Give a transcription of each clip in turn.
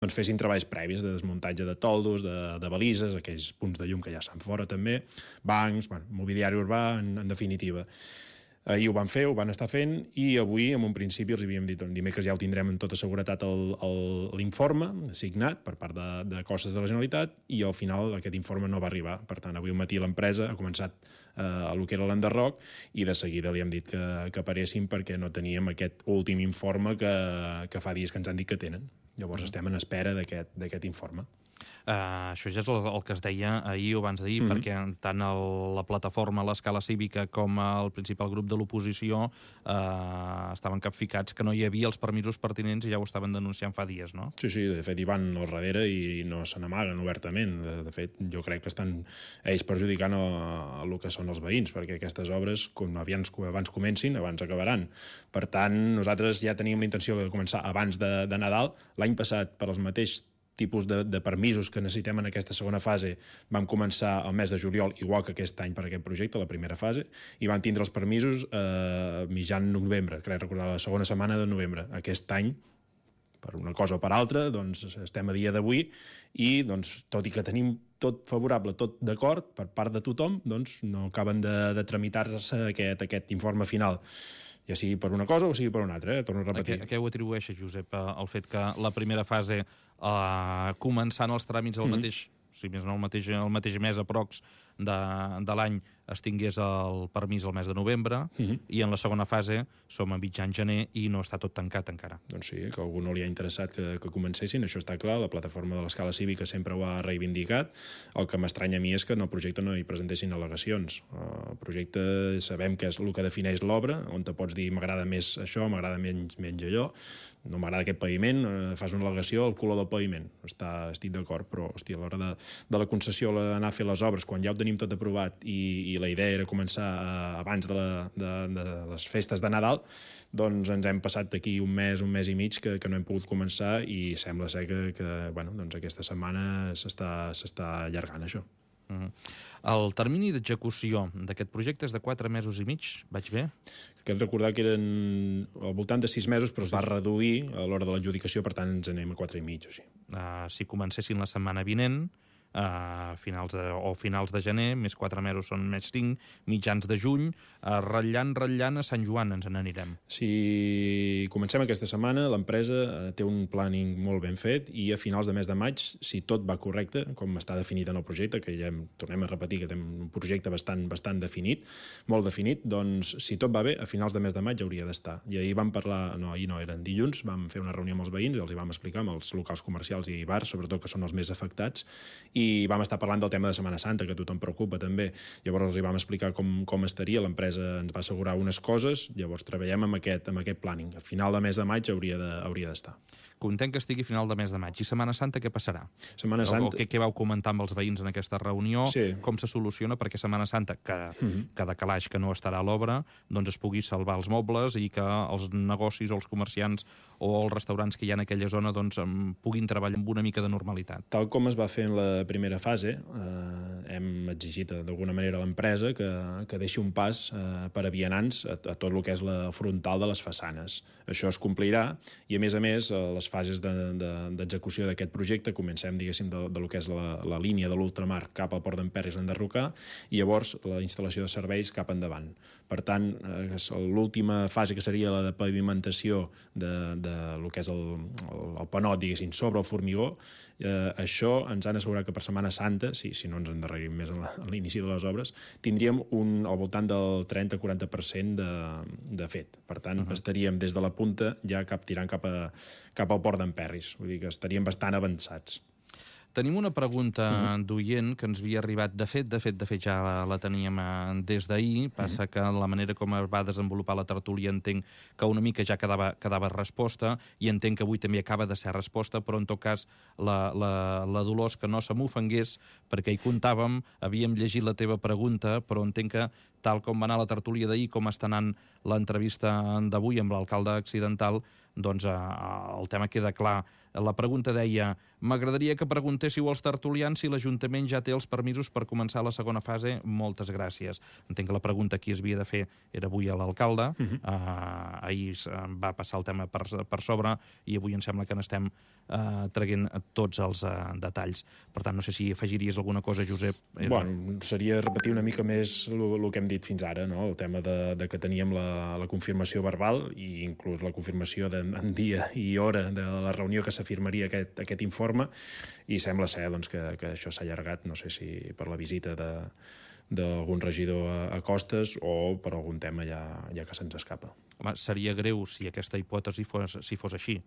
doncs fessin treballs previs de desmuntatge de toldos, de balises, aquells punts de llum que ja estan fora també, bancs, mobiliari urbà, en definitiva. Ahir ho van fer, ho van estar fent, i avui, en un principi, els havíem dit, dimecres ja ho tindrem en tota seguretat l'informe signat per part de Costes de la Generalitat, i al final aquest informe no va arribar. Per tant, avui al matí l'empresa ha començat el que era l'enderroc, i de seguida li hem dit que paréssim perquè no teníem aquest últim informe que fa dies que ens han dit que tenen. Llavors estem en espera d'aquest informe. Això ja és el que es deia ahir o abans d'ahir, perquè tant la plataforma, l'Escala Cívica, com el principal grup de l'oposició estaven capficats que no hi havia els permisos pertinents i ja ho estaven denunciant fa dies, no? Sí, de fet hi van al darrere i no se n'amaguen obertament. De fet, jo crec que estan ells perjudicant el que són els veïns, perquè aquestes obres, com abans comencin, abans acabaran. Per tant, nosaltres ja teníem la intenció de començar abans de Nadal. L'any passat, per als mateixos tipus de permisos que necessitem en aquesta segona fase, vam començar el mes de juliol, igual que aquest any per aquest projecte, la primera fase, i vam tindre els permisos mitjan novembre, crec recordar, la segona setmana de novembre. Aquest any, per una cosa o per altra, doncs estem a dia d'avui i, doncs, tot i que tenim tot favorable, tot d'acord per part de tothom, doncs no acaben de tramitar-se aquest informe final, ja sigui per una cosa o sigui per una altra, torno a repetir. A què ho atribueixes, Josep, el fet que la primera fase, començant els tràmits al mateix, si més no el mateix mes aprox de l'any, es tingués el permís al mes de novembre, i en la segona fase som a mitjan gener i no està tot tancat encara? Doncs sí, que a algú no li ha interessat que comencessin, això està clar, la plataforma de l'Escala Cívica sempre ho ha reivindicat. El que m'estranya a mi és que en el projecte no hi presentessin al·legacions. El projecte sabem que és el que defineix l'obra, on te pots dir m'agrada més això, m'agrada menys allò, no m'agrada aquest paviment, fas una al·legació al color del paviment, estic d'acord, però hòstia, a l'hora de la concessió, a l'hora d'anar a fer les obres, quan ja ho tenim tot aprovat i la idea era començar abans de les festes de Nadal, doncs ens hem passat d'aquí un mes i mig que no hem pogut començar, i sembla ser que doncs aquesta setmana s'està allargant això. El termini d'execució d'aquest projecte és de 4 mesos i mig, vaig bé? Crec recordar que eren al voltant de 6 mesos, però es va reduir a l'hora de l'adjudicació, per tant ens anem a 4 i mig o així. Si comencessin la setmana vinent, finals de gener, més 4 mesos són més 5, mitjans de juny, ratllant a Sant Joan ens n'anirem. Si comencem aquesta setmana, l'empresa té un planning molt ben fet, i a finals de mes de maig, si tot va correcte, com està definit en el projecte, que ja tornem a repetir que té un projecte bastant definit, molt definit, doncs si tot va bé, a finals de mes de maig hauria d'estar. I ahir vam parlar, eren dilluns, vam fer una reunió amb els veïns i els hi vam explicar, amb els locals comercials i bars, sobretot, que són els més afectats, i vam estar parlant del tema de Setmana Santa, que a tothom preocupa també. Llavors els hi vam explicar com estaria, l'empresa ens va assegurar unes coses, llavors treballem amb aquest planning. A final de mes de maig hauria d'estar. Content que estigui a final de mes de maig. I Setmana Santa què passarà? Setmana Santa... Què vau comentar amb els veïns en aquesta reunió? Sí. Com se soluciona perquè Setmana Santa, cada calaix que no estarà a l'obra, doncs es pugui salvar els mobles i que els negocis o els comerciants o els restaurants que hi ha en aquella zona doncs puguin treballar amb una mica de normalitat. Tal com es va fer en la primera fase, hem exigit d'alguna manera a l'empresa que deixi un pas per a vianants a tot el que és la frontal de les façanes. Això es complirà, i a més, les fases d'execució d'aquest projecte comencem, diguéssim, de lo que és la línia de l'ultramar cap al Port d'en Perris a enderrocar, i llavors la instal·lació de serveis cap endavant. Per tant, l'última fase, que seria la de pavimentació de lo que és el panot, diguéssim, sobre el formigó, això ens han assegurat que per Setmana Santa, si no ens endarrerim més a l'inici de les obres, tindríem al voltant del 30-40% de fet. Per tant, estaríem des de la punta ja tirant cap al Port d'en Perris. Vull dir que estaríem bastant avançats. Tenim una pregunta d'oient que ens havia arribat. De fet ja la teníem des d'ahir. Passa que la manera com es va desenvolupar la tertúlia entenc que una mica ja quedava resposta, i entenc que avui també acaba de ser resposta, però en tot cas la Dolors que no se m'ofengués, perquè hi comptàvem, havíem llegit la teva pregunta, però entenc que tal com va anar la tertúlia d'ahir, com està anant l'entrevista d'avui amb l'alcalde accidental, doncs el tema queda clar. La pregunta deia: m'agradaria que preguntéssiu als tertulians si l'Ajuntament ja té els permisos per començar la segona fase. Moltes gràcies. Entenc que la pregunta qui es havia de fer era avui a l'alcalde. Ahir va passar el tema per sobre i avui em sembla que n'estem traient tots els detalls. Per tant, no sé si afegiries alguna cosa, Josep. Bueno, seria repetir una mica més el que hem dit fins ara, no? El tema de que teníem la confirmació verbal i inclús la confirmació en dia i hora de la reunió que s'afirmaria aquest informe, i sembla ser doncs, que això s'ha allargat, no sé si per la visita d'algun regidor a Costes o per algun tema ja que se'ns escapa. Home, seria greu si aquesta hipòtesi fos així.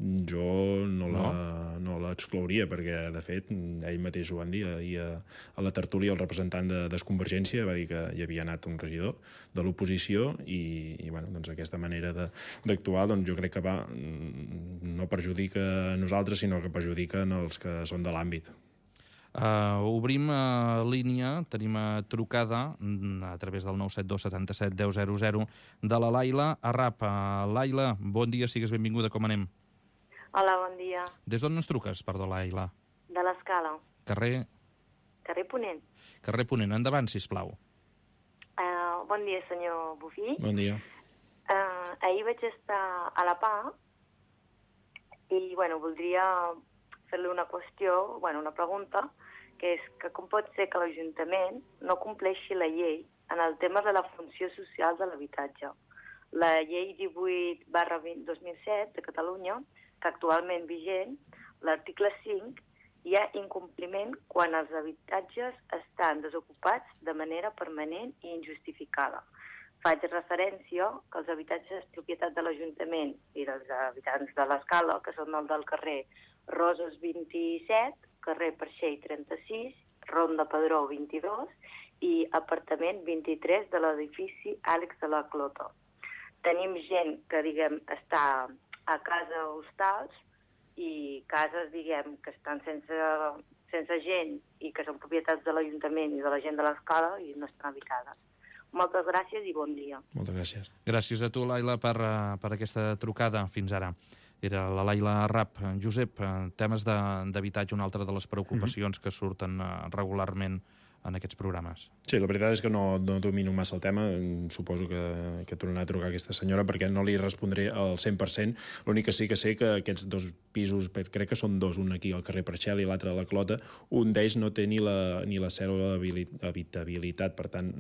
Jo no l'exclouria, perquè, de fet, ell mateix ho van dir ahir a la tertúlia, el representant de Desconvergència va dir que hi havia anat un regidor de l'oposició i bueno, doncs aquesta manera d'actuar doncs jo crec que no perjudica a nosaltres, sinó que perjudica els que són de l'àmbit. Obrim línia, tenim trucada a través del 972 77 10 00 de la Laila Arrap. Laila, bon dia, sigues benvinguda, com anem? Hola, bon dia. Des d'on ens truques, perdó, Laila? De l'Escala. Carrer Ponent. Carrer Ponent, endavant, sisplau. Bon dia, senyor Bufí. Bon dia. Ahir vaig estar a la PA i, voldria fer-li una qüestió, una pregunta, que és que com pot ser que l'Ajuntament no compleixi la llei en el tema de la funció social de l'habitatge. La llei 18/2007 de Catalunya, que actualment vigent, l'article 5, hi ha incompliment quan els habitatges estan desocupats de manera permanent i injustificada. Faig referència que els habitatges propietat de l'Ajuntament i dels habitants de l'Escala, que són el del carrer Roses 27, carrer Perxell 36, Ronda Pedró 22 i apartament 23 de l'edifici Àlex de la Clota. Tenim gent que, està a casa hostals i cases, que estan sense gent i que són propietats de l'Ajuntament i de la gent de l'Escala i no estan habitades. Moltes gràcies i bon dia. Moltes gràcies. Gràcies a tu, Laila, per aquesta trucada fins ara. Era la Laila Arrap. Josep, temes d'habitatge, una altra de les preocupacions que surten regularment en aquests programes. Sí, la veritat és que no domino massa el tema. Suposo que tornarà a trucar aquesta senyora perquè no li respondré al 100%. L'únic que sí que sé que aquests dos pisos, crec que són dos, un aquí al carrer Perxel i l'altre a la Clota, un d'ells no té ni la cèdula d'habitabilitat. Per tant,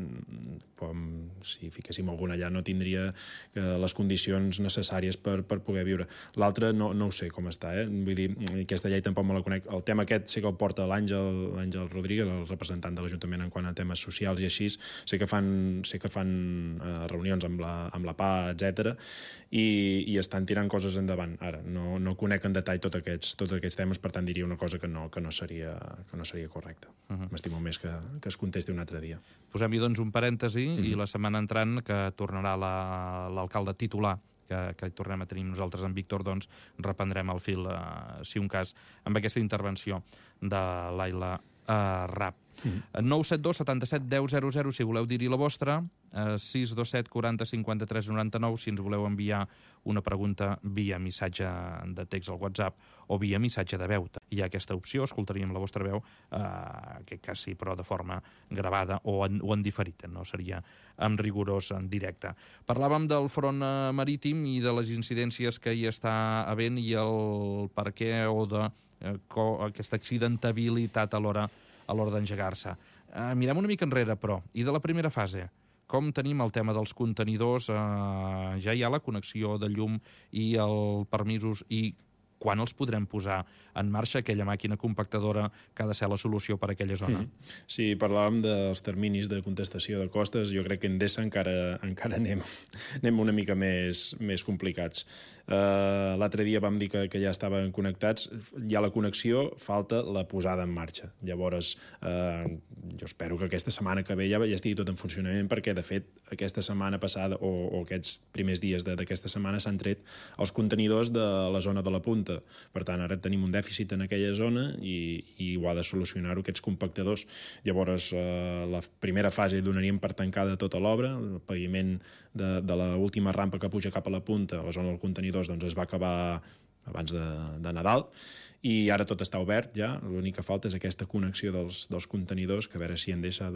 si fiquéssim algun allà no tindria les condicions necessàries per poder viure. L'altre no ho sé com està, Vull dir, aquesta llei tampoc me la conec. El tema aquest sé que el porta l'Àngel Rodríguez, el representant de l'Ajuntament en quant a temes socials i així. Sé que fan reunions amb la PA, etc. i estan tirant coses endavant. Ara, no conec en detall tots aquests temes, per tant diria una cosa que no seria correcta. M'estimo més que es contesti un altre dia. Posem-hi doncs un parèntesi i la setmana entrant, que tornarà l'alcalde titular, que tornem a tenir nosaltres en Víctor, doncs reprendrem el fil, si un cas, amb aquesta intervenció de Laila Arrap. 972 77 10 00 si voleu dir-hi la vostra, 627 40 53 99 si ens voleu enviar una pregunta via missatge de text al WhatsApp o via missatge de veu. Hi ha aquesta opció, escoltaríem la vostra veu, en aquest cas sí, però de forma gravada o en diferit, no seria en rigorós en directe. Parlàvem del front marítim i de les incidències que hi està havent i el per què o d'aquesta accidentabilitat a l'hora d'engegar-se. Mirem una mica enrere, però, i de la primera fase. Com tenim el tema dels contenidors? Ja hi ha la connexió de llum i els permisos i quan els podrem posar en marxa, aquella màquina compactadora que ha de ser la solució per a aquella zona? Sí, parlàvem dels terminis de contestació de Costes. Jo crec que Endesa encara anem una mica més complicats. L'altre dia vam dir que ja estaven connectats. Hi ha la connexió, falta la posada en marxa. Llavors, jo espero que aquesta setmana que ve ja estigui tot en funcionament, perquè, de fet, aquesta setmana passada o aquests primers dies d'aquesta setmana s'han tret els contenidors de la zona de la Punta, punta. Per tant, ara tenim un dèficit en aquella zona i ho ha de solucionar-ho aquests compactadors. Llavors, la primera fase donaríem per tancada tota l'obra, el paviment de l'última rampa que puja cap a la punta, la zona dels contenidors, doncs es va acabar abans de Nadal, i ara tot està obert ja, l'únic que falta és aquesta connexió dels contenidors, que a veure si Endesa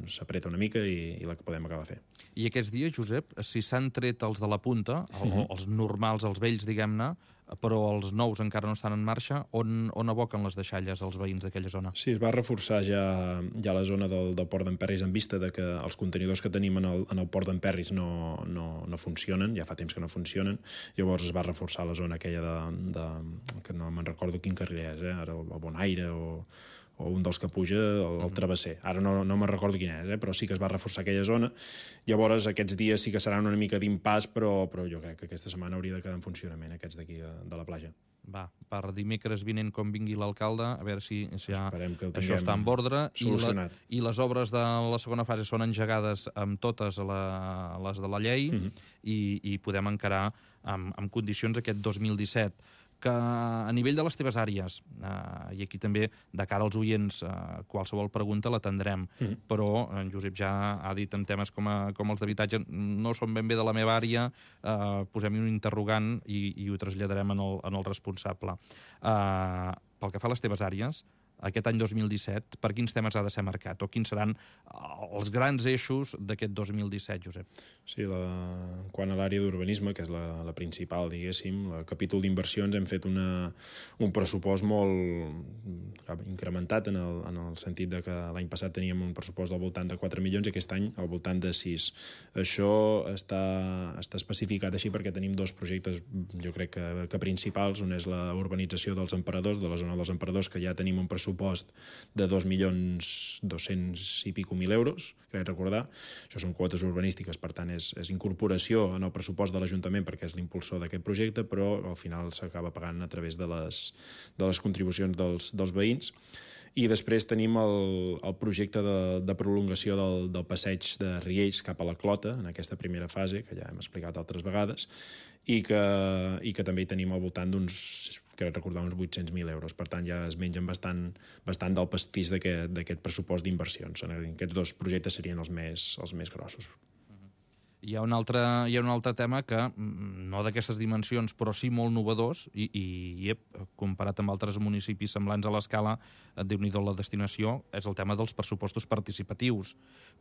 s'apreta una mica i la que podem acabar fer. I aquests dies, Josep, si s'han tret els de la punta, els normals, els vells, diguem-ne, però els nous encara no estan en marxa, on aboquen les deixalles els veïns d'aquella zona? Sí, es va reforçar ja la zona del port d'Emperris en vista de que els contenidors que tenim en el port d'Emperris no funcionen, ja fa temps que no funcionen, llavors es va reforçar la zona aquella que no me'n recordo quin carrer és, ara el Bonaire o un dels que puja, el Travesser. Ara no me'n recordo quin és, però sí que es va reforçar aquella zona. Llavors, aquests dies sí que seran una mica d'impàs, però jo crec que aquesta setmana hauria de quedar en funcionament, aquests d'aquí de la platja. Va, per dimecres vinent, com vingui l'alcalde, a veure si ja això està en ordre. I les obres de la segona fase són engegades amb totes les de la llei i podem encarar amb condicions aquest 2017. Que a nivell de les teves àrees, i aquí també de cara als oients qualsevol pregunta l'atendrem, però en Josep ja ha dit en temes com els d'habitatge no són ben bé de la meva àrea, posem-hi un interrogant i ho traslladarem en el responsable. Pel que fa a les teves àrees, aquest any 2017, per quins temes ha de ser marcat? O quins seran els grans eixos d'aquest 2017, Josep? Sí, quant a l'àrea d'urbanisme, que és la principal, diguéssim, el capítol d'inversions hem fet un pressupost molt incrementat en el sentit de que l'any passat teníem un pressupost del voltant de 4 milions i aquest any al voltant de 6. Això està especificat així perquè tenim dos projectes, jo crec que principals. Un és la urbanització dels Emperadors, de la zona dels Emperadors, que ja tenim un pressupost de 2.200.000 i pico euros, crec recordar. Això són quotes urbanístiques, per tant és incorporació en el pressupost de l'Ajuntament perquè és l'impulsor d'aquest projecte, però al final s'acaba pagant a través de les contribucions dels veïns. I després tenim el projecte de prolongació del passeig de Riells cap a la Clota, en aquesta primera fase, que ja hem explicat altres vegades, i que també hi tenim al voltant d'uns, crec recordar, uns 800.000 euros. Per tant, ja es mengen bastant del pastís d'aquest pressupost d'inversions. Aquests dos projectes serien els més grossos. Hi ha un altre tema que, no d'aquestes dimensions, però sí molt novedós, i comparat amb altres municipis semblants a l'escala, Déu-n'hi-do la destinació, és el tema dels pressupostos participatius.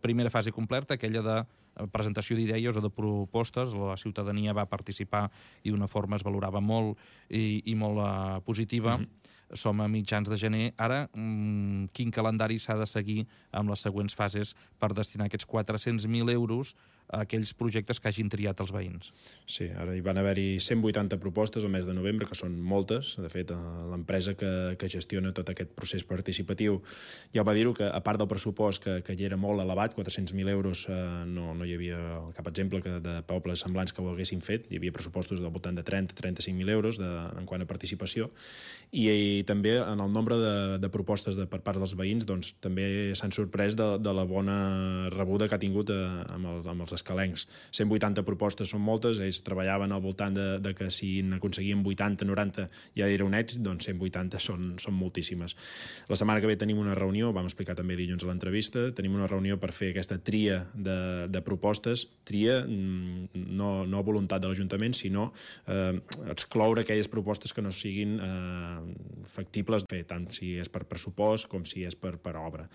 Primera fase completa, aquella de presentació d'idees o de propostes, la ciutadania va participar i d'una forma es valorava molt i molt positiva. Som a mitjans de gener. Ara, quin calendari s'ha de seguir amb les següents fases per destinar aquests 400.000 euros a aquells projectes que hagin triat els veïns? Sí, ara hi van haver-hi 180 propostes al mes de novembre, que són moltes. De fet, l'empresa que gestiona tot aquest procés participatiu ja va dir-ho, que a part del pressupost, que ja era molt elevat, 400.000 euros, no hi havia cap exemple de pobles semblants que ho haguessin fet. Hi havia pressupostos del voltant de 30-35.000 euros en quant a participació. I també en el nombre de propostes per part dels veïns doncs, també s'han sorprès de la bona rebuda que ha tingut amb els escalencs. 180 propostes són moltes, ells treballaven al voltant de que si n'aconseguien 80-90 ja era un èxit, doncs 180 són moltíssimes. La setmana que ve tenim una reunió, vam explicar també dilluns a l'entrevista, tenim una reunió per fer aquesta tria de propostes, tria no a voluntat de l'Ajuntament, sinó excloure aquelles propostes que no siguin factibles, tant si és per pressupost com si és per obra.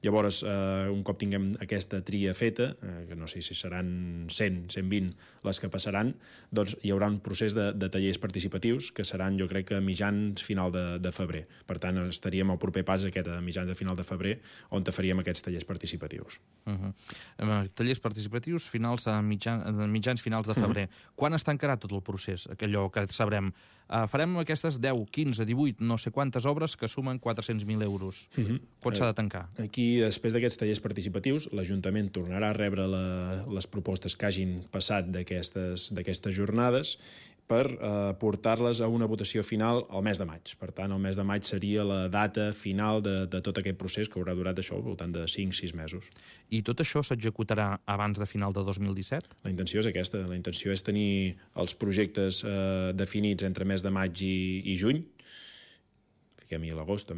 Llavors, un cop tinguem aquesta tria feta, que no sé si seran 100, 120 les que passaran, doncs hi haurà un procés de tallers participatius que seran, jo crec, a mitjans final de febrer. Per tant, estaríem al proper pas aquest a mitjans de final de febrer on faríem aquests tallers participatius. Tallers participatius mitjans finals de febrer. Quan es tancarà tot el procés? Allò que sabrem. Farem aquestes 10, 15, 18, no sé quantes obres que sumen 400.000 euros. Quan s'ha de tancar? Aquí, després d'aquests tallers participatius, l'Ajuntament tornarà a rebre les propostes que hagin passat d'aquestes jornades, per portar-les a una votació final al mes de maig. Per tant, el mes de maig seria la data final de tot aquest procés, que haurà durat això al voltant de 5-6 mesos. I tot això s'executarà abans de final de 2017? La intenció és aquesta. La intenció és tenir els projectes definits entre mes de maig i juny, fiquem-hi l'agost,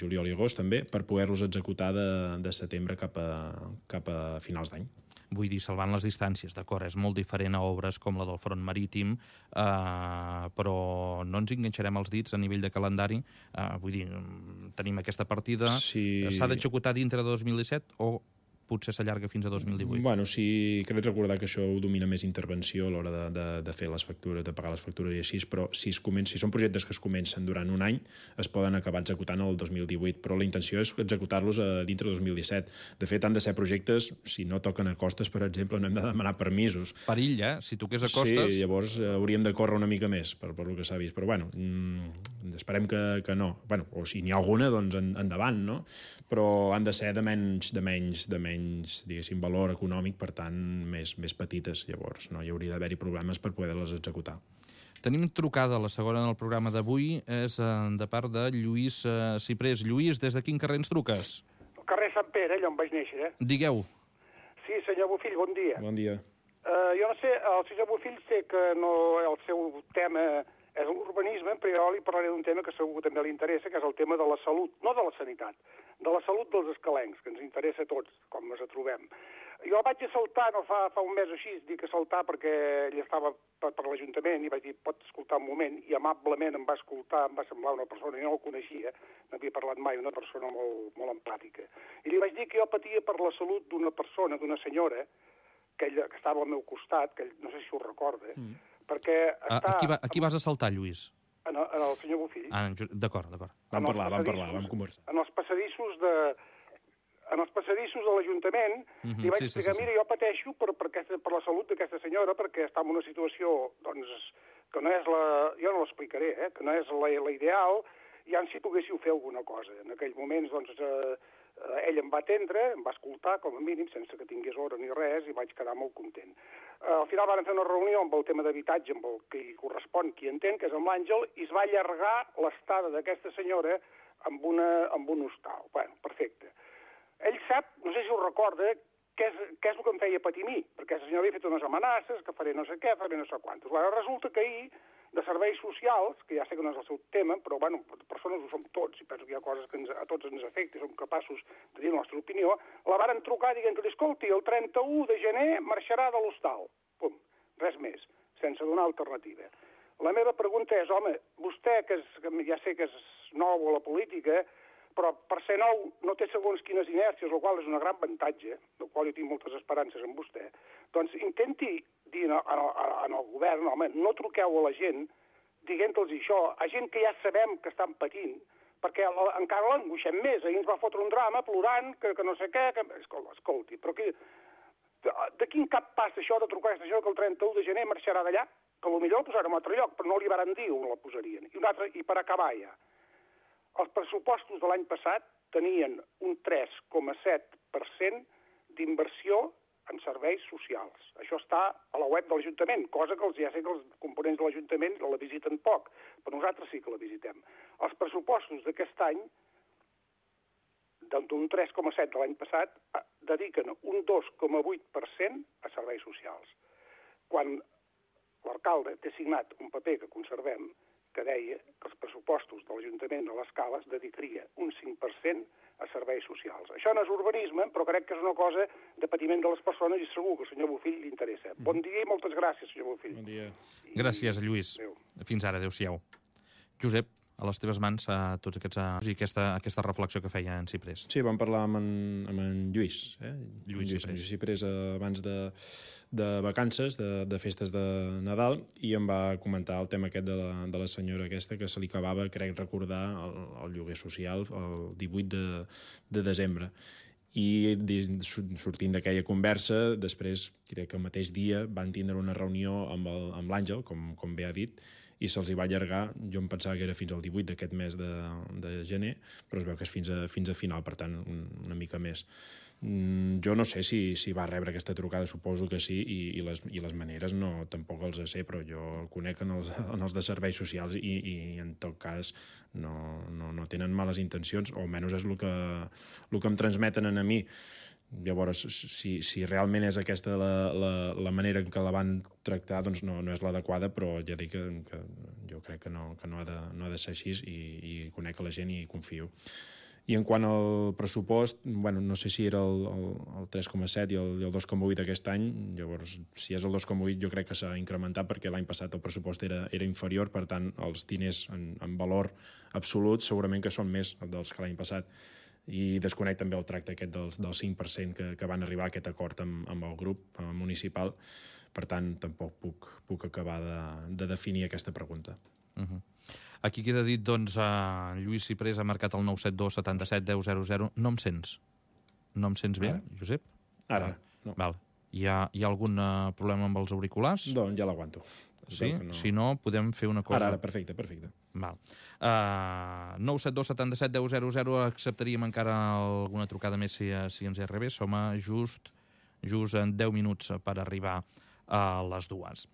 juliol i agost també, per poder-los executar de setembre cap a finals d'any. Vull dir, salvant les distàncies, d'acord, és molt diferent a obres com la del front marítim, però no ens enganxarem els dits a nivell de calendari. Vull dir, tenim aquesta partida, s'ha d'executar dintre de 2017 o potser s'allarga fins a 2018? Bueno, sí, crec recordar que això ho domina més intervenció a l'hora de fer les factures, de pagar les factures i així, però si són projectes que es comencen durant un any, es poden acabar executant el 2018, però la intenció és executar-los dintre de 2017. De fet, han de ser projectes, si no toquen a costes, per exemple, no hem de demanar permisos. Perill, si toqués a costes... Sí, llavors hauríem de córrer una mica més, per el que s'ha vist, però bueno, esperem que no. Bueno, o si n'hi ha alguna, doncs endavant, no? Però han de ser de menys, diguéssim, valor econòmic, per tant, més petites. Llavors, no hi hauria d'haver-hi problemes per poder-les executar. Tenim trucada, la segona en el programa d'avui, és de part de Lluís Ciprés. Lluís, des de quin carrer ens truques? El carrer Sant Pere, allà on vaig néixer. Digueu. Sí, senyor Bofill, bon dia. Bon dia. Jo no sé, el senyor Bofill sé que el seu tema és l'urbanisme, però jo li parlaré d'un tema que segur que també li interessa, que és el tema de la salut, no de la sanitat, de la salut dels escalencs, que ens interessa a tots, com ens trobem. Jo vaig a saltar, no fa un mes o així, dic a saltar perquè ell estava per l'Ajuntament i vaig dir, pot escoltar un moment, i amablement em va escoltar, em va semblar una persona, jo no el coneixia, no havia parlat mai, una persona molt empàtica. I li vaig dir que jo patia per la salut d'una persona, d'una senyora, que estava al meu costat, que no sé si ho recorda, perquè està... A qui vas assaltar, Lluís? En el senyor Bofill. D'acord. Vam conversar. En els passadissos de l'Ajuntament, li vaig explicar, mira, jo pateixo per la salut d'aquesta senyora, perquè està en una situació, doncs, que no és jo no l'explicaré, que no és la ideal, i si poguéssiu fer alguna cosa. En aquells moments, doncs, ell em va atendre, em va escoltar, com a mínim, sense que tingués hora ni res, i vaig quedar molt content. Al final van fer una reunió amb el tema d'habitatge, amb el que hi correspon, qui entén, que és amb l'Àngel, i es va allargar l'estada d'aquesta senyora amb un hostal. Bueno, perfecte. Ell sap, no sé si ho recorda, què és el que em feia patir a mi, perquè la senyora havia fet unes amenaces, que faré no sé què, faré no sé quantos. Bueno, resulta que ahir, de serveis socials, que ja sé que no és el seu tema, però, bueno, persones ho som tots, i penso que hi ha coses que a tots ens afecten, som capaços de dir la nostra opinió, la varen trucar dient que, escolti, el 31 de gener marxarà de l'hostal. Pum, res més, sense donar alternativa. La meva pregunta és, home, vostè, que ja sé que és nou a la política, però per ser nou no té segons quines inèrcies, el qual és un gran avantatge, del qual jo tinc moltes esperances en vostè, doncs intenti dir al govern, home, no truqueu a la gent dient-los això, a gent que ja sabem que estan patint, perquè encara l'angoixem més. Ahir ens va fotre un drama plorant, que no sé què, escolti, però de quin cap passa això de trucar a aquesta gent que el 31 de gener marxarà d'allà? Que potser el posarem a un altre lloc, però no li varen dir on la posarien. I per acabar ja, els pressupostos de l'any passat tenien un 3,7% d'inversió en serveis socials. Això està a la web de l'Ajuntament, cosa que ja sé que els components de l'Ajuntament la visiten poc, però nosaltres sí que la visitem. Els pressupostos d'aquest any, d'un 3,7 de l'any passat, dediquen un 2,8% a serveis socials. Quan l'alcalde té signat un paper que conservem, que deia que els pressupostos de l'Ajuntament de l'Escala es dedicaria un 5% a serveis socials. Això no és urbanisme, però crec que és una cosa de patiment de les persones i segur que al senyor Bofill li interessa. Bon dia i moltes gràcies, senyor Bofill. Bon dia. Gràcies, Lluís. Fins ara, adéu-siau. Josep, a les teves mans tots aquests i aquesta reflexió que feia en Ciprés. Sí, vam parlar amb en Lluís. Lluís Ciprés abans de vacances, de festes de Nadal, i em va comentar el tema aquest de la senyora aquesta que se li acabava, crec recordar, el lloguer social el 18 de desembre. I sortint d'aquella conversa, després, crec que el mateix dia, van tindre una reunió amb l'Àngel, com bé ha dit, i se'ls hi va allargar, jo em pensava que era fins al 18 d'aquest mes de gener, però es veu que és fins a final, per tant, una mica més. Jo no sé si va rebre aquesta trucada, suposo que sí, i les maneres no, tampoc els sé, però jo el conec en els de serveis socials i en tot cas no tenen males intencions, o almenys és el que em transmeten a mi. Llavors, si realment és aquesta la manera en què la van tractar, doncs no és l'adequada, però ja dic que jo crec que no ha de ser així i conec la gent i confio. I en quant al pressupost, no sé si era el 3,7 i el 2,8 aquest any, llavors si és el 2,8 jo crec que s'ha incrementat perquè l'any passat el pressupost era inferior, per tant els diners en valor absolut segurament que són més dels que l'any passat. I desconec també el tracte aquest del 5% que van arribar a aquest acord amb el grup municipal, per tant tampoc puc acabar de definir aquesta pregunta. Aquí queda dit, doncs, Lluís Ciprés ha marcat el 972 77 10 00. No em sents? No em sents bé, Josep? Ara, no. Val. Hi ha algun problema amb els auriculars? Doncs ja l'aguanto. Sí? No. Si no, podem fer una cosa... Ara, perfecte. Val. 972 77 10 00, acceptaríem encara alguna trucada més si ens hi arribés. Som just en 10 minuts per arribar a les 2.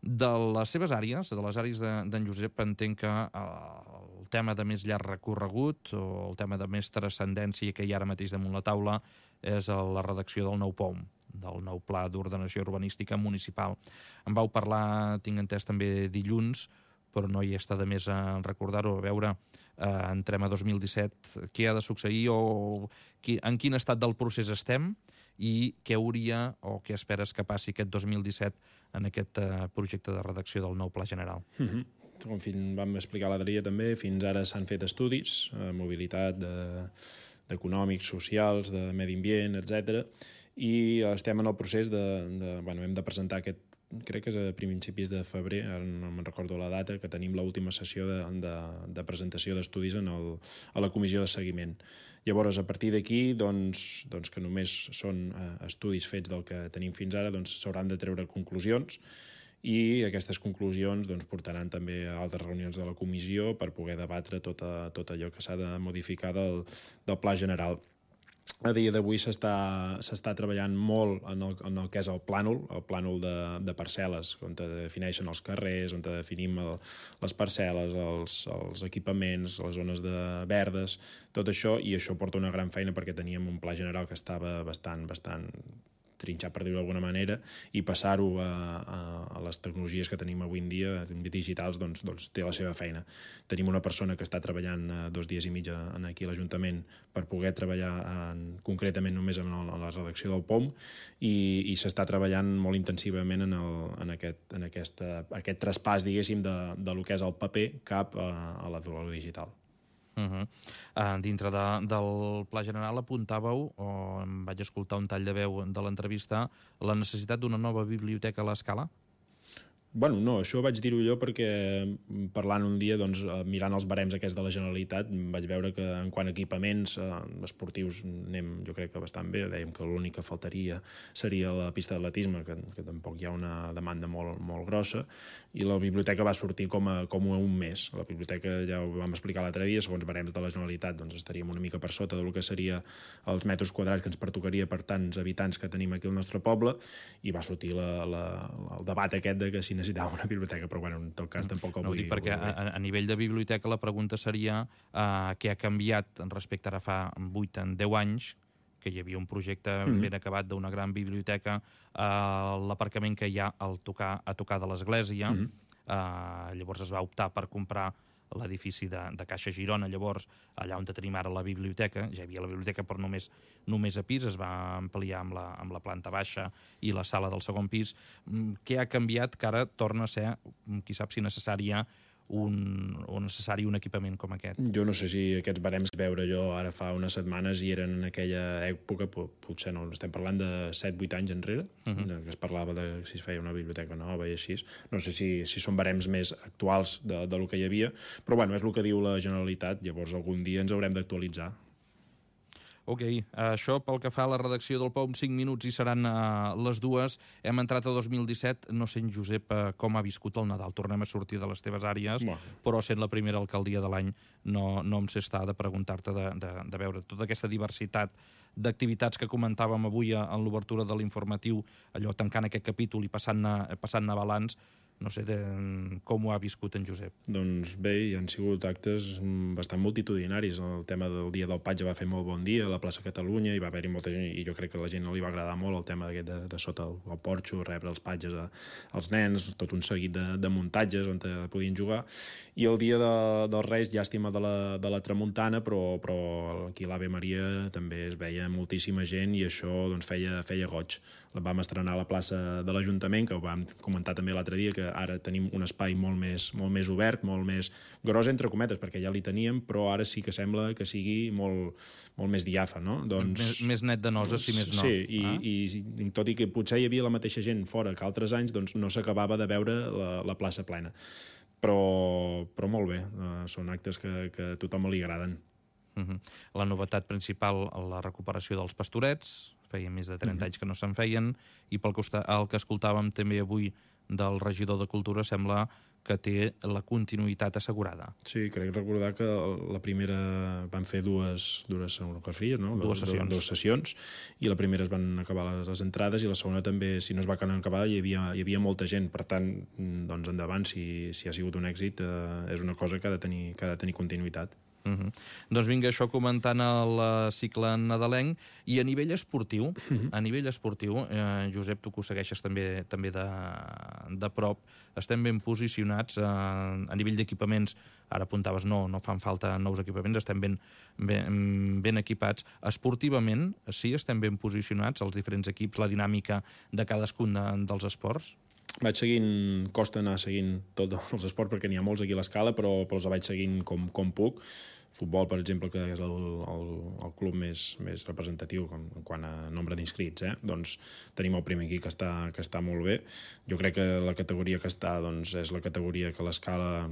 De les seves àrees, de les àrees d'en Josep, entenc que el tema de més llarg recorregut o el tema de més transcendència que hi ha ara mateix damunt la taula és la redacció del nou POM, del nou Pla d'Ordenació Urbanística Municipal. En vau parlar, tinc entès, també dilluns, però no hi està de més a recordar-ho, a veure, entrem a 2017, què ha de succeir o en quin estat del procés estem i què hauria o què esperes que passi aquest 2017 en aquest projecte de redacció del nou Pla General. Com vam explicar l'altre dia també, fins ara s'han fet estudis, mobilitat d'econòmics, socials, de medi ambient, etc. I estem en el procés hem de presentar aquest, crec que és a principis de febrer, ara no me'n recordo la data, que tenim l'última sessió de presentació d'estudis a la comissió de seguiment. Llavors, a partir d'aquí, doncs, que només són estudis fets del que tenim fins ara, doncs s'hauran de treure conclusions i aquestes conclusions portaran també a altres reunions de la comissió per poder debatre tot allò que s'ha de modificar del Pla General. A dia d'avui s'està treballant molt en el que és el plànol de parcel·les, on defineixen els carrers, on definim les parcel·les, els equipaments, les zones verdes, tot això, i això porta una gran feina perquè teníem un pla general que estava bastant trinxat, per dir-ho d'alguna manera, i passar-ho a les tecnologies que tenim avui en dia, digitals, doncs té la seva feina. Tenim una persona que està treballant 2 dies i mig aquí a l'Ajuntament per poder treballar concretament només en la redacció del POM i s'està treballant molt intensivament en aquest traspàs, diguéssim, de lo que és el paper cap a la digital. Dintre del Pla General apuntàveu, o em vaig escoltar un tall de veu de l'entrevista, la necessitat d'una nova biblioteca a l'Escala? No, això vaig dir-ho jo perquè parlant un dia, mirant els barems aquests de la Generalitat, vaig veure que en quant a equipaments esportius anem, jo crec que bastant bé. Dèiem que l'únic que faltaria seria la pista d'atletisme, que tampoc hi ha una demanda molt grossa, i la biblioteca va sortir com a un mes. La biblioteca, ja ho vam explicar l'altre dia, segons barems de la Generalitat, estaríem una mica per sota del que seria els metres quadrats que ens pertocaria per tants habitants que tenim aquí al nostre poble, i va sortir el debat aquest de que si necessitava una biblioteca, però en tot cas tampoc el vull dir. Perquè a nivell de biblioteca la pregunta seria què ha canviat respecte ara fa 8 o 10 anys, que hi havia un projecte ben acabat d'una gran biblioteca, l'aparcament que hi ha a tocar de l'església, llavors es va optar per comprar l'edifici de Caixa Girona, llavors, allà on tenim ara la biblioteca, ja hi havia la biblioteca però només a pis, es va ampliar amb la planta baixa i la sala del segon pis. Què ha canviat que ara torna a ser, qui sap si necessari un equipament com aquest? Jo no sé si aquests barems que veure jo ara fa unes setmanes i eren en aquella època, potser no, estem parlant de 7-8 anys enrere, que es parlava de si es feia una biblioteca nova i així. No sé si són barems més actuals del que hi havia, però és el que diu la Generalitat, llavors algun dia ens haurem d'actualitzar. Ok, això pel que fa a la redacció del POM, 5 minuts i seran les 2. Hem entrat a 2017, no sé, Josep, com ha viscut el Nadal. Tornem a sortir de les teves àrees, però sent la primera alcaldia de l'any no em sé estar de preguntar-te de veure tota aquesta diversitat d'activitats que comentàvem avui en l'obertura de l'informatiu, allò tancant aquest capítol i passant-ne balanç. No sé com ho ha viscut en Josep. Doncs bé, hi han sigut actes bastant multitudinaris. El tema del Dia del Patge va fer molt bon dia a la plaça Catalunya, hi va haver-hi molta gent i jo crec que a la gent li va agradar molt el tema de sota el porxo, rebre els patges als nens, tot un seguit de muntatges on podien jugar. I el dia dels Reis, llàstima de la tramuntana, però aquí a l'Ave Maria també es veia moltíssima gent i això doncs, feia goig. La vam estrenar a la plaça de l'Ajuntament, que ho vam comentar també l'altre dia, que ara tenim un espai molt més obert, molt més gros, entre cometes, perquè ja li teníem, però ara sí que sembla que sigui molt més diàfan, no? Doncs, més net de nosa, si més no. Sí, i tot i que potser hi havia la mateixa gent fora que altres anys, doncs no s'acabava de veure la plaça plena. Però molt bé, són actes que a tothom li agraden. La novetat principal, la recuperació dels pastorets, feia més de 30 anys que no se'n feien, i pel que escoltàvem també avui del regidor de Cultura, sembla que té la continuïtat assegurada. Sí, crec recordar que la primera van fer dues Dues sessions, i la primera es van acabar les entrades i la segona també, si no es va acabar, hi havia molta gent. Per tant, doncs endavant, si ha sigut un èxit, és una cosa que ha de tenir continuïtat. Doncs vinga, això comentant el cicle nadalenc. I a nivell esportiu, Josep, tu que ho segueixes també de prop, estem ben posicionats a nivell d'equipaments. Ara apuntaves, no fan falta nous equipaments, estem ben equipats. Esportivament, sí, estem ben posicionats, els diferents equips, la dinàmica de cadascun dels esports? Costa anar seguint tots els esports perquè n'hi ha molts aquí a l'escala, però els vaig seguint com puc. Futbol, per exemple, que és el club més representatiu quant a nombre d'inscrits, doncs tenim el primer aquí que està molt bé. Jo crec que la categoria que està és la categoria que a l'escala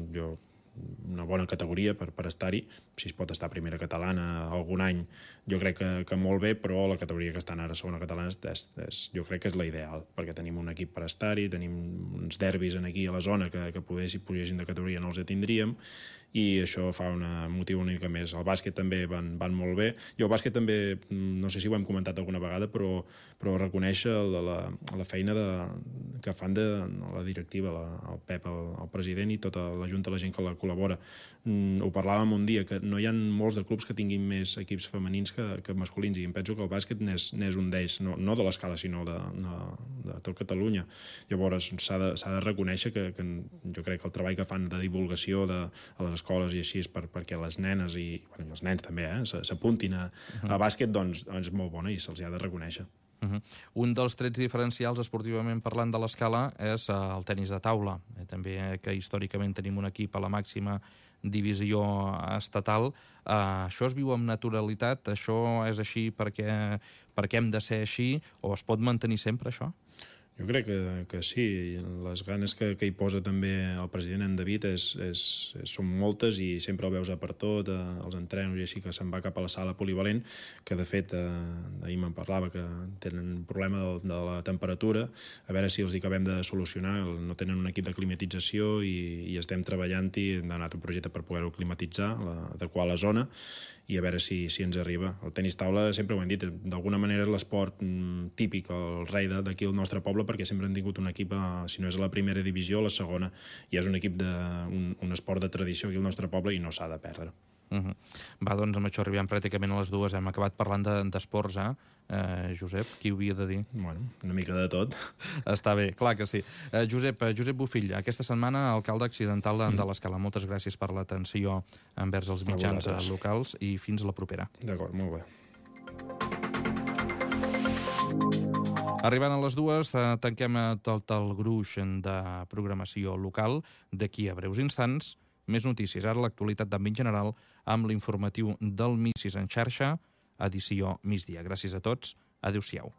una bona categoria per estar-hi. Si es pot estar a primera catalana algun any, jo crec que molt bé, però la categoria que estan ara a segona catalana jo crec que és la ideal, perquè tenim un equip per estar-hi, tenim uns derbis aquí a la zona que si pugessin de categoria no els tindríem, i això fa motiu una mica més. El bàsquet també van molt bé. I el bàsquet també, no sé si ho hem comentat alguna vegada, però reconèixer la feina que fan de la directiva, el Pep, el president, i tota la junta, la gent que la col·labora. Ho parlàvem un dia, que no hi ha molts de clubs que tinguin més equips femenins que masculins, i em penso que el bàsquet n'és un d'ells, no de l'escala, sinó de tot Catalunya. Llavors s'ha de reconèixer que jo crec que el treball que fan de divulgació a les escoles i així perquè les nenes i els nens també s'apuntin a bàsquet, doncs és molt bona i se'ls ha de reconèixer. Un dels trets diferencials esportivament parlant de l'escala és el tenis de taula. També que històricament tenim un equip a la màxima divisió estatal. Això es viu amb naturalitat? Això és així perquè hem de ser així? O es pot mantenir sempre, això? Jo crec que sí. Les ganes que hi posa també el president, en David, són moltes, i sempre el veus per tot, els entrenos i així, que se'n va cap a la sala polivalent, que de fet ahir me'n parlava que tenen un problema de la temperatura, a veure si els acabem de solucionar. No tenen un equip de climatització i estem treballant-hi, hem donat un projecte per poder-ho climatitzar, adequar la zona, i a veure si ens arriba. El tenis taula, sempre ho hem dit, d'alguna manera és l'esport típic, el rei d'aquí al nostre poble, perquè sempre han tingut un equip, si no és a la primera divisió, a la segona, i és un equip un esport de tradició aquí al nostre poble i no s'ha de perdre. Va, doncs amb això arribem pràcticament a les 2. Hem acabat parlant d'esports, Josep? Qui ho havia de dir? Bueno, una mica de tot. Està bé, clar que sí. Josep Bofill, aquesta setmana alcalde accidental de l'Escala. Moltes gràcies per l'atenció envers els mitjans locals i fins la propera. D'acord, molt bé. Arribant a les 2, tanquem tot el gruix de programació local. D'aquí a breus instants, més notícies. Ara l'actualitat d'àmbit general amb l'informatiu del Missis en xarxa, edició migdia. Gràcies a tots. Adéu-siau.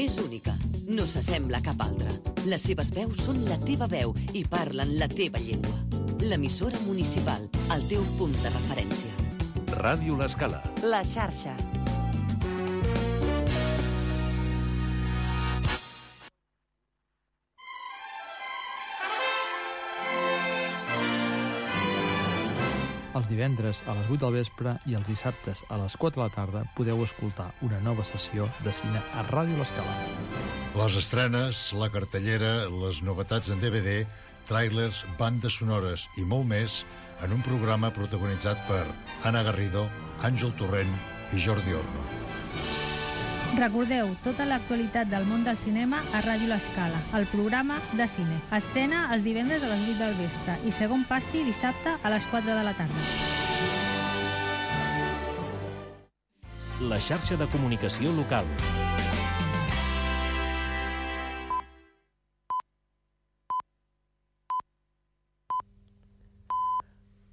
És única, no s'assembla a cap altra. Les seves veus són la teva veu i parlen la teva llengua. L'emissora municipal, el teu punt de referència. Ràdio L'Escala. La xarxa. Els divendres a les 8 del vespre i els dissabtes a les 4 de la tarda podeu escoltar una nova sessió de cine a Ràdio L'Escala. Les estrenes, la cartellera, les novetats en DVD, tràilers, bandes sonores i molt més en un programa protagonitzat per Anna Garrido, Àngel Torrent i Jordi Orno. Recordeu tota l'actualitat del món del cinema a Ràdio L'Escala, el programa de cine. Estrena els divendres a les 8 del vespre i segon passi dissabte a les 4 de la tarda. La xarxa de comunicació local.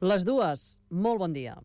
Les dues, molt bon dia.